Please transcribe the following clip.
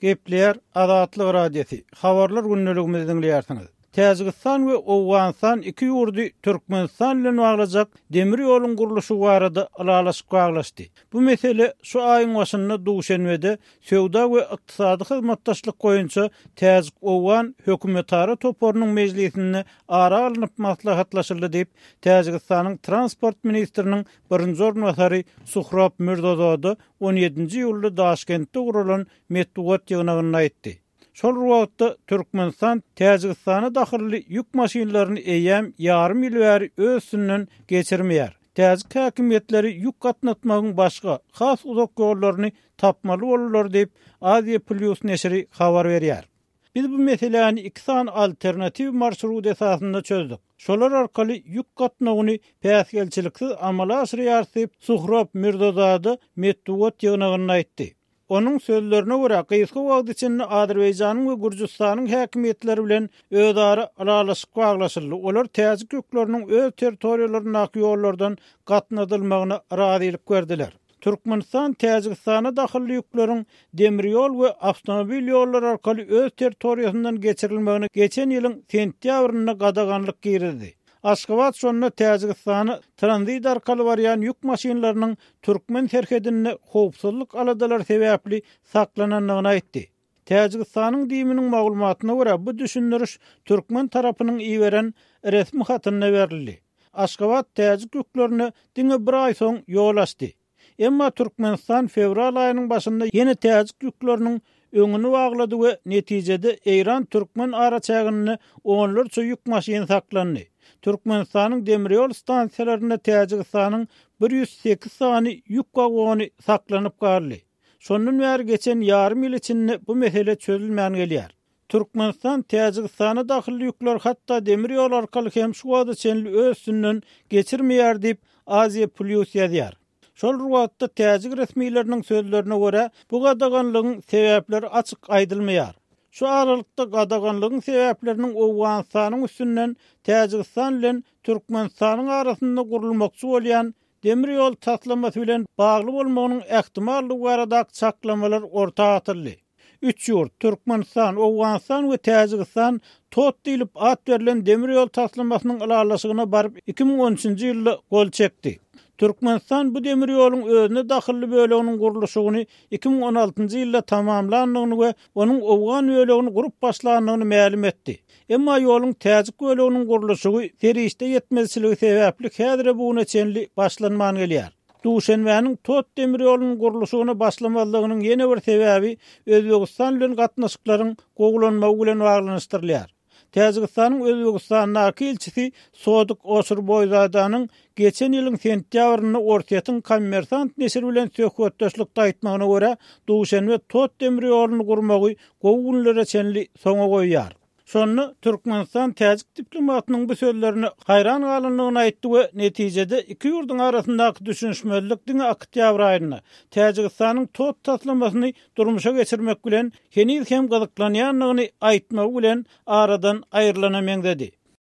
Gepleýär Azatlyk Radiosy, Habarlar gündeligimizi diňleýärsiňiz. Täjigistan we Owganystan iki ýurdy Türkmenistan bilen baglajak demir ýoluň gurluşygy barada ylalaşyk baglaşdy. Bu mesele şu aýyň başynda Duşenbede Söwda we ykdysady hyzmatdaşlyk boýunça täjik-owgan hökümetara toparynyň mejlisinde ara alnyp maslahatlaşyldy diýip, Täjigistanyň transport ministriniň birinji orunbasary Suhrob Mirzozoda on ýedinji iýulda Daşkentde guralan metbugat ýygnagynda aýtdy. Şol bir wagtda, Türkmenistan Täjigistana dahylly ýük maşynlaryny eýýäm ýarym ýyl bäri öz üstünden geçirmeýär. Täjik häkimiýetleri ýük gatnatmagyň başga, has uzak ýollaryny tapmaly boldular diýip, Aziýa Plýus neşiri habar berýär. Biz bu meseläni iki sany alternatiw marşrut esasynda çözdük. Şolar arkaly ýük gatnawyny päsgelçiliksiz amala aşyrýarys diýip, Suhrob Mirzozada metbugat ýygnagynda aýtdy. Onuň sözlerine görä, gysga wagt içinde Azerbaýjanyň we Gürjüstanyň häkimiýetleri bilen özara ylalaşyk baglaşyldy, olar täjik ýükleriniň öz territoriýalaryndaky ýollardan gatnadylmagyna razylyk berdiler. Türkmenistan Täjigistana dahylly ýükleriň demir ýol we awtomobil ýollary arkaly öz territoriýasyndan geçirilmegine geçen ýylyň sentýabrynda gadaganlyk girizdi. Aşgabat şonda Täjigistana tranzit arkaly barýan ýük maşynlarynyň türkmen serhedinde howpsuzlyk aladalary sebäpli saklanandygyny aýtdy. Täjigistanyň DIM-niň maglumatyna görä, bu düşündiriş türkmen tarapynyň iberen resmi hatynda berildi. Aşgabat täjik ýüklerine diňe bir aý soň ýol açdy. Emma Türkmenistan fewral aýynyň başynda ýene täjik ýükleriniň öňüni baglady we netijede eýran-türkmen araçäginde onlarça ýük maşyny saklandy. Türkmenistanyň demirýol stansiýalarynda Täjigistanyň 108 sany ýük wagony saklanyp galdy. Şondan bäri geçen ýarym ýyl içinde bu mesele çözülmän gelýär. Türkmenistan Täjigistana dahylly ýükleri hatda demir ýol arkaly hem şu wagta çenli öz üstünden geçirmeýär diýip, Aziýa Plýus ýazýar. Şol bir wagtda, täjik resmileriniň sözlerine görä, bu gadaganlygyň sebäpleri açyk aýdylmaýar. Şu aralykda, gadaganlygyň sebäpleriniň Owganystanyň üstünden Täjigistan bilen Türkmenistanyň arasynda gurulmakçy bolýan demir ýol taslamasy bilen bagly bolmagynyň ähtimallygy baradaky çaklamalar orta atyldy. Üç ýurt, Türkmenistan, Owganystan we Täjigistan TOT diýlip at berlen demir ýol taslamasynyň ylalaşygyna baryp 2013-nji ýylda gol çekdi. Türkmenistan bu demir ýoluň özüne dahylly böleginiň gurluşygyny 2016-njy ýylda tamamlandygyny we onuň owgan bölegini gurup başlandygyny mälim etdi. Emma ýoluň täjik böleginiň gurluşygy serişde ýetmezçiligi sebäpli häzire bu güne çenli başlanman gelýär. Duşenbäniň Tot demir ýolunyň gurluşygyna başlamazlygynyň ýene bir sebäbi Özbegistan bilen gatnaşyklaryň gowulanmagy bilen baglanyşdyrylýar. Täjigistanyň Özbegistandaky ilçisi Sodik Oşurboýzadanyň geçen ýylyň sentýabrynda Orsýetiň Kommersant neşiri bilen söhbetdeşlikde aýtmagyna görä, Duşenbe Tot demir ýoluny gurmagy gowy günlere çenli soňa goýýar. Şonda Türkmenistan täjik diplomatynyň bu sözlerine haýran galandygyny aýtdy we netijede iki ýurduň arasyndaky düşünişmezlik diňe oktýabr aýynda Täjigistanyň TOT taslamasyny durmuşa geçirmek bilen heniz hem gyzyklanýandygyny aýtmagy bilen aradan aýrylana meňzedi.